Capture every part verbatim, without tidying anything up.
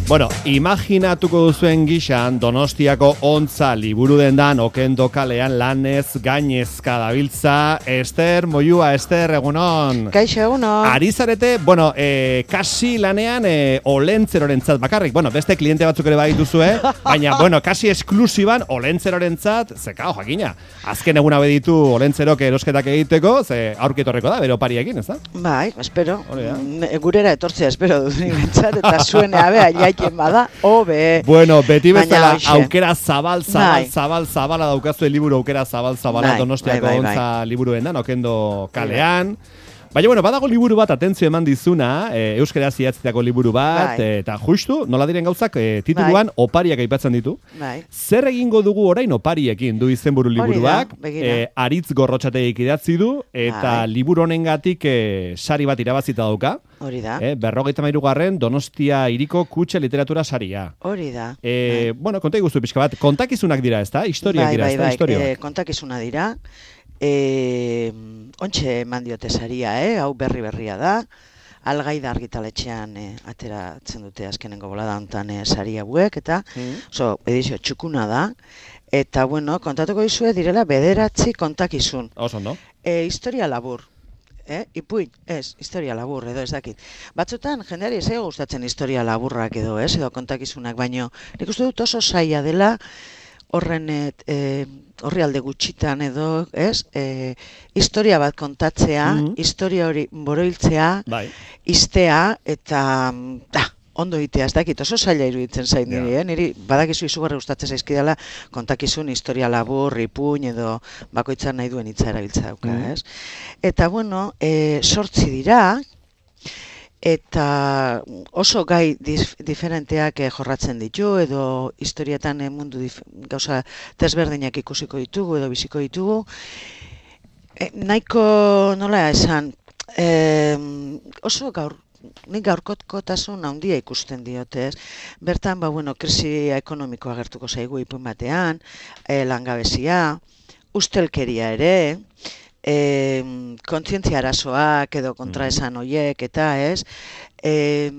Bueno, imaginatuko duzuen gixan Donostiako Ontza liburu dendan okendo kalean lanez gainezka dabiltza Ester Moyua. Ester, egunon. Kaixo, egunon. Ari zarete, bueno, eh, kasi lanean eh, olentzerorentzat bakarrik. Bueno, beste kliente batzuk ere badituzue, baina, bueno, kasi esklusiban olentzerorentzat, zekao jakina. Azken eguna beditu olentzerok erosketak egiteko, ze aurkitorreko da, bere opariekin, ez da? Bai, espero. Gurera etortzea espero dut nimentzat, eta zuen abea jaiken bada, hobe. Bueno, beti bezala aukera zabal, zabal, zabal, zabala daukazue liburu aukera zabal, zabala Donostiako Ontza liburu dendan, okendo kalean. Baina, bueno, badago liburu bat, atentzio eman dizuna, e, euskaraz idatzitako liburu bat, bai. Eta justu, nola diren gauzak, e, tituluan bai. Opariak aipatzen ditu. Bai. Zer egingo dugu orain opariekin du izenburu liburuak, e, Aritz Gorrotxategik idatzi du, eta bai. Liburu honengatik e, sari bat irabazita dauka. Hori da. E, berrogeita hamairugarren Donostia hiriko kutxe literatura saria. Hori da. E, bai. Bueno, konta iguzu pixka bat, kontakizunak dira, ez da? Historiak bai, dira, ez da? Bai, bai, bai, kontakizuna dira. E, ontxe eman diote saria, eh? Hau berri berria da. Algaida argitaletxean e, ateratzen dute azkenengo bolada hontan e, sari hauek, eta mm. oso edizio txukuna da. Eta, bueno, kontatuko dizue direla bederatzi kontakizun. Oso, no? E, historia labur. Eh? Ipuin, ez, historia labur edo ez dakit. Batzutan, jendeari ez gustatzen historia laburrak edo, ez, edo kontakizunak, baino nik uste dut oso zaila dela horren e, horri alde gutxitan edo, ez, e, historia bat kontatzea, mm-hmm. historia hori boroiltzea, bai. Iztea, eta da, ondo itea, ez dakit, oso zaila iruditzen zain niri, yeah. eh? Niri badakizu izugarri gustatzen zaizkidala kontakizun historia labur, ipuin edo bakoitzan nahi duen hitza erabiltza dauka, mm-hmm. ez? Eta, bueno, e, sortzi dira, eta oso gai dif, diferenteak eh, jorratzen ditu, edo historietan eh, mundu dif, gauza desberdinak ikusiko ditugu, edo biziko ditugu. E, nahiko, nola esan, e, oso gaur, nik gaurkotkotasun handia ikusten diote, ez? Bertan, ba, bueno, krisi ekonomikoa agertuko zaigu ipuin batean, e, langabezia, ustelkeria ere, E, kontzientzia arazoak edo kontraesan horiek eta ez, e,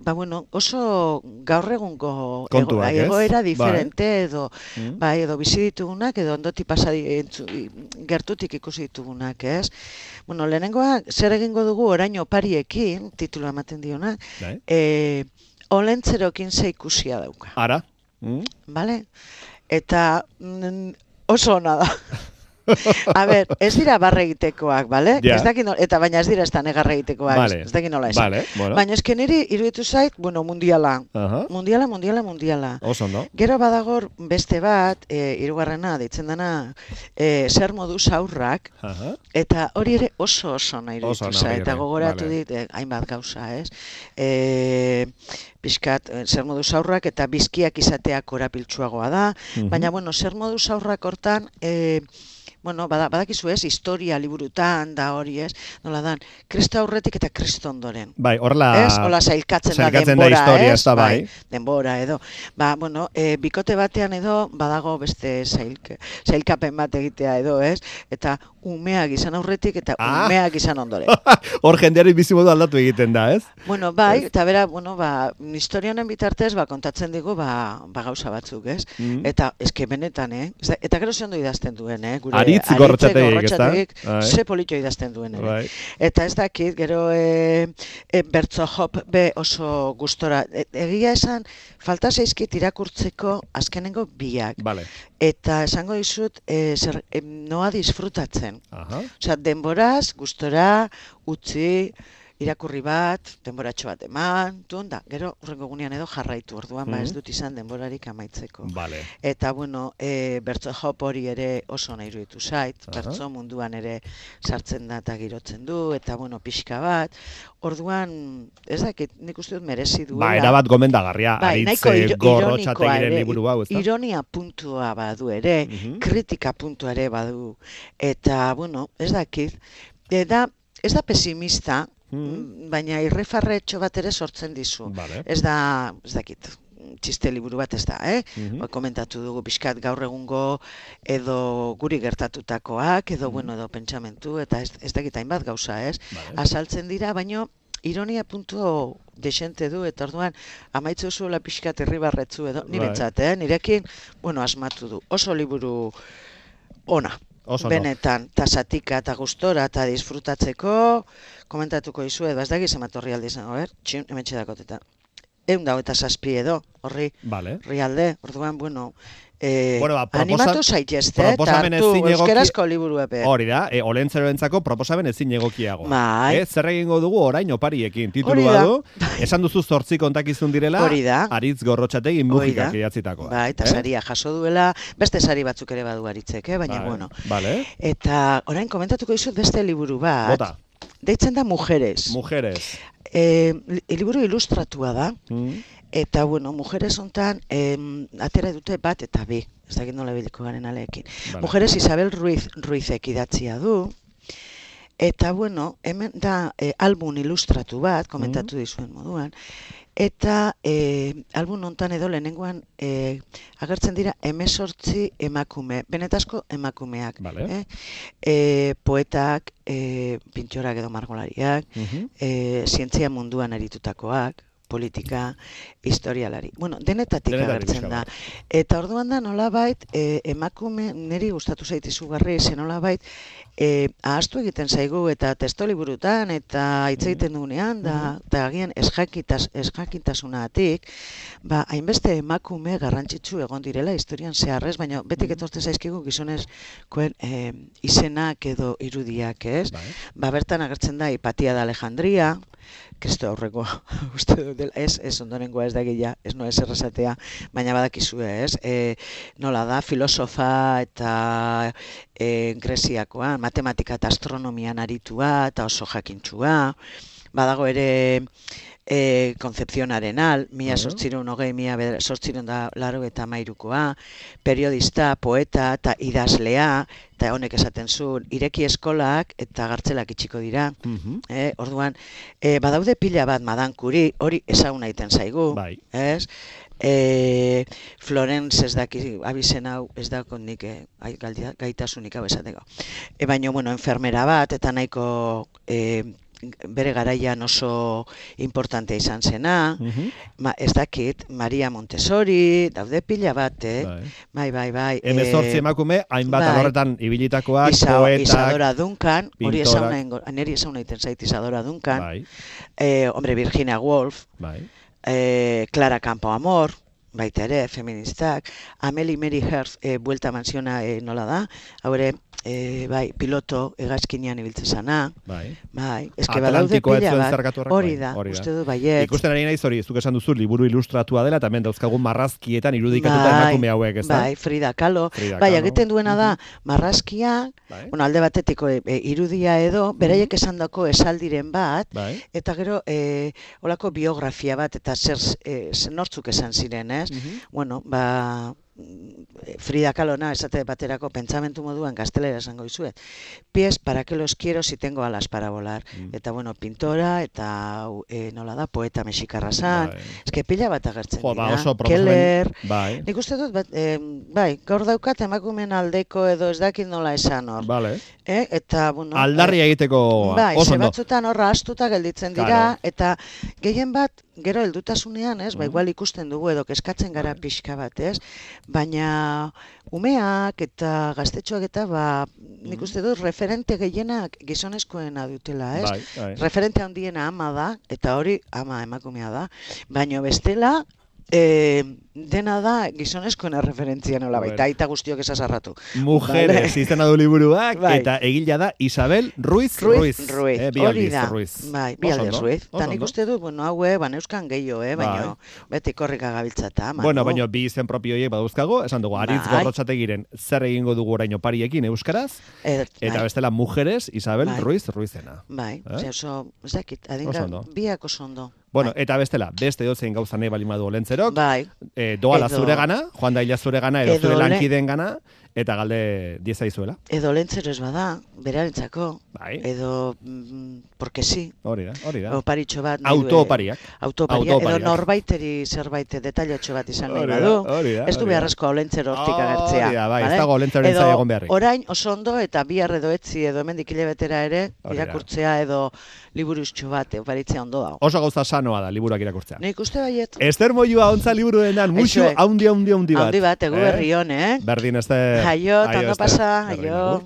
ba bueno, oso gaur egungo ego, egoera diferente bai. Edo, mm. bai, edo bizi ditugunak edo ondoti pasa gertutik ikusi ditugunak, ez? Bueno, lehenengoa zer egingo dugu orain opariekin, titulu ematen diona, bai. e, olentzerokin ze ikusia dauka. Ara? Mm. Vale? Eta mm, oso ona da. A ber, ez dira barre egitekoak, bale? Yeah. Ez dakit no, eta baina ez dira ez da negarre egitekoak, vale. Ez dakit nola esan. Vale, bueno. Baina ez niri iruditu zait, bueno, mundiala. Uh-huh. Mundiala, mundiala, mundiala. Oso, no? Gero badagor beste bat, e, hirugarrena, deitzen dena, e, zer moduz aurrak, uh-huh. Eta hori ere oso oso nahi iruditu zait. Eta gogoratu vale. Dit, e, hainbat gauza, ez? E, Piskat, zer moduz aurrak eta bizkiak izateak korapiltsuagoa da, uh-huh. Baina, bueno, zer moduz aurrak hortan, e, bueno, badakizu ez, historia liburutan da hori ez, nola dan, Kristo aurretik eta Kristo ondoren. Bai, horla... Ez, hola zailkatzen da denbora, da historia, ez, ez da, bai. bai. Denbora edo. Ba, bueno, e, bikote batean edo, badago beste zailke, zailkapen bat egitea edo, ez, eta umeak izan aurretik eta ah. umeak izan ondoren. Hor jendeari bizimodu aldatu egiten da, ez? Bueno, bai, eta bera, bueno, ba, historianen bitartez, ba, kontatzen digu, ba, ba gauza batzuk, ez? Mm. Eta, eske benetan, eh? Eta gero ze ondo idazten duen, eh? Gure, Aritz Gorrotxategik, ez da? Ze polito idazten duen, ere. Bai. Eta ez dakit, gero e, e, bertso hop be oso gustora. E, egia esan, falta zaizkit irakurtzeko azkenengo biak. Vale. Eta esango dizut, e, zer, e, noa disfrutatzen. Aha. Osea, denboraz, gustora, utzi, irakurri bat, denboratxo bat eman, tun, da, gero urrengo gunean edo jarraitu, orduan, mm-hmm. ba ez dut izan denborarik amaitzeko. Vale. Eta, bueno, e, bertso hop hori ere oso nahi iruditu zait, uh-huh. Bertso munduan ere sartzen da eta girotzen du, eta, bueno, pixka bat, orduan, ez dakit, nik uste dut merezi duela. Ba, erabat gomendagarria, bai, Aritz Gorrotxategiren liburu hau, ez da? Ironia puntua badu ere, uh-huh. Kritika puntua ere badu, eta, bueno, ez dakit, eta, ez da pesimista, Mm. baina irrifarretxo bat ere sortzen dizu. Vale. Ez da, ez dakit, txiste liburu bat ez da, eh? Mm-hmm. Komentatu dugu pixkat gaur egungo edo guri gertatutakoak, edo, mm-hmm. bueno, edo pentsamentu, eta ez, ez dakit hainbat gauza, ez? Vale. Azaltzen dira, baino ironia puntu desente du, eta orduan amaitzu zuela pixkat irribarretzu edo, niretzat, eh? Nirekin, bueno, asmatu du. Oso liburu ona. Oso benetan, ta zatika, ta gustora, ta disfrutatzeko, komentatuko izu, edo, ez da gizematorri aldi izango, ber? Txin, hemen txedakotetan. Egun dago eta zazpi edo, horri, vale. Rialde, orduan, bueno, eh, bueno, ba, animatu zaitezte, eta hartu euskerazko liburu epe. Hori da, e, olentzeroentzako proposamen ezin egokiago. Bai. E, zer egingo dugu orain opariekin, titulua du, esan duzu zortzi kontakizun direla, hori da. Aritz Gorrotxategi mugikak idatzitakoa. Bai, eta eh? saria jaso duela, beste sari batzuk ere badu Aritzek, eh? baina, bai, bueno. Vale. Eta orain komentatuko dizut beste liburu bat. Bota. Deitzen da Mujeres. Mujeres. Eh, liburu ilustratua da. Mm. Eta, bueno, Mujeres hontan eh, atera dute bat eta bi. Ez dakit nola biliko garen aleekin. Vale. Mujeres Isabel Ruiz, Ruizek idatzia du. Eta, bueno, hemen da eh, album ilustratu bat, komentatu mm. dizuen moduan. Eta eh, album hontan edo lehenengoan eh, agertzen dira hemezortzi emakume, benetazko emakumeak. Vale. Eh? Eh, poetak, eh, pintxorak edo margolariak, uh-huh. eh, zientzia munduan aritutakoak, politika, historialari. Bueno, denetatik, denetatik agertzen da. Eta orduan da nolabait, eh, emakume, niri gustatu zait izugarri, ze nolabait, eh, ahaztu egiten zaigu, eta testoliburutan, eta hitz egiten dugunean, da, eta agian esjakintasunatik, ba, hainbeste emakume garrantzitsu egon direla historian zeharrez, baina betik etortzen zaizkigu gizonezkoen eh, izenak edo irudiak, ez? Bai. Ba, bertan agertzen da, Hipatia de Alejandria, Kristo aurrekoa, uste dut, ez, ez ondorengoa ez da gila, ez no ez errezatea, baina badakizue, ez, e, nola da, filosofa eta e, Greziakoa, matematika eta astronomian aritua, eta oso jakintxua, badago ere e, Concepción Arenal, mila sortziron hogei, mila sortziron da laro eta mairukoa, periodista, poeta eta idazlea, eta honek esaten zuen, ireki eskolak eta gartzelak itxiko dira. Uh-huh. eh, orduan, eh, badaude pila bat Madame Curie, hori ezaguna egiten zaigu. Bai. Ez? Eh, Florence ez daki, abizen hau, ez dakon nik eh, gaitasunik hau esateko. E, baina, bueno, enfermera bat, eta nahiko... Eh, bere garaian oso importante izan zena, uh-huh. Ma, ez dakit, Maria Montessori, daude pila bat, eh? Bai, bai, bai. Hemezortzi emakume, hainbat bai. Alorretan ibilitakoak, Isa, poetak, Isadora Duncan, hori esauna, neri esauna iten zait Isadora Duncan, bai. eh, hombre, Virginia Woolf, bai. eh, Clara Campoamor, baita ere, feministak, Amelie Mary Hearst, eh, Buelta Mansiona eh, nola da, haure, E, bai, piloto hegazkinean ibiltzen zana. Bai. Bai, eske badaude pila bat. Hori da, uste du baiet. Ikusten ari naiz hori, zuk esan duzu liburu ilustratua dela, eta hemen dauzkagun marrazkietan irudikatuta bai, emakume hauek, ez da? Bai, Frida Kahlo. Frida bai, egiten duena da, marrazkia, bai. Bueno, alde batetiko e, e, irudia edo, beraiek esan dako esaldiren bat, bai. Eta gero, e, olako biografia bat, eta zer, e, nortzuk esan ziren, ez? Uh-huh. Bueno, ba... Frida Kahlona esate baterako pentsamentu moduan gaztelera esango dizuet. Pies para que los quiero si tengo alas para volar. Mm. Eta bueno, pintora eta e, nola da, poeta mexikarra zan. Bai. Eske pila bat agertzen jo, dira. Ba, Keller. Bai. Nik uste dut, bat, e, bai, gaur daukat emakumen aldeko edo ez dakit nola esan hor. Vale. Eh? Eta, bueno, aldarria egiteko bai, oso ondo. Bai, batzutan horra astuta gelditzen dira, claro. Eta gehien bat, gero heldutasunean, ez, mm. ba, igual ikusten dugu edo keskatzen gara bai. Pixka bat, ez, baina umeak eta gaztetxoak eta, ba, nik uste dut, referente gehienak gizonezkoena dutela, ez? Bai, bai. Referente handiena ama da, eta hori ama emakumea da, baina bestela, E, dena da gizonezkoena referentzia nola baita, bueno. Aita guztiok esazarratu. Mujeres, vale. Izena du liburuak, bai. Eta egila da Isabel Ruiz Ruiz. Ruiz, Ruiz. Eh, hori da, Ruiz. Bai, bi aldiz Ruiz. Eta nik uste du, bueno, haue, ban euskan gehiago, eh, baina bai. Beti korrika gabiltzata. Bueno, baina bi izen propioiek badauzkago, esan dugu, Aritz bai. Gorrotxategiren zer egingo dugu oraino pariekin euskaraz, et, eta bai. Bestela Mujeres, Isabel bai. Ruiz Ruizena. Bai, eh? Oso, ez dakit, adinga, biak oso ondo. Bueno, bai. Eta bestela, beste dozein gauza nahi balimadu olentzerok, bai. e, doala zure gana, joan da hila zure gana, edo, edo zure lankideen gana, eta galde diezaizuela. Edo lentzero ez bada, berarentzako, bai. edo, mm, porque sí. Hori da, hori da. Oparitxo bat. Autopariak. Autopariak, edo norbaiteri zerbait detailotxo bat izan nahi badu. Ez du beharrezko olentzero hortik agertzea. Hori da, bai, ez dago olentzero entzai egon beharrik. Orain oso ondo eta bihar edo etzi edo hemendik hilabetera ere, irakurtzea edo liburuztxo bat, oparitzea ondo dago. Oso gauza sanoa da, liburuak irakurtzea. Nik uste baiet. Ester Moyua ontza liburuenan, muxu haundi haundi haundi bat. Haundi bat, egu berri hon, eh? Berdin, Ester. Aio, tando pasa, aio.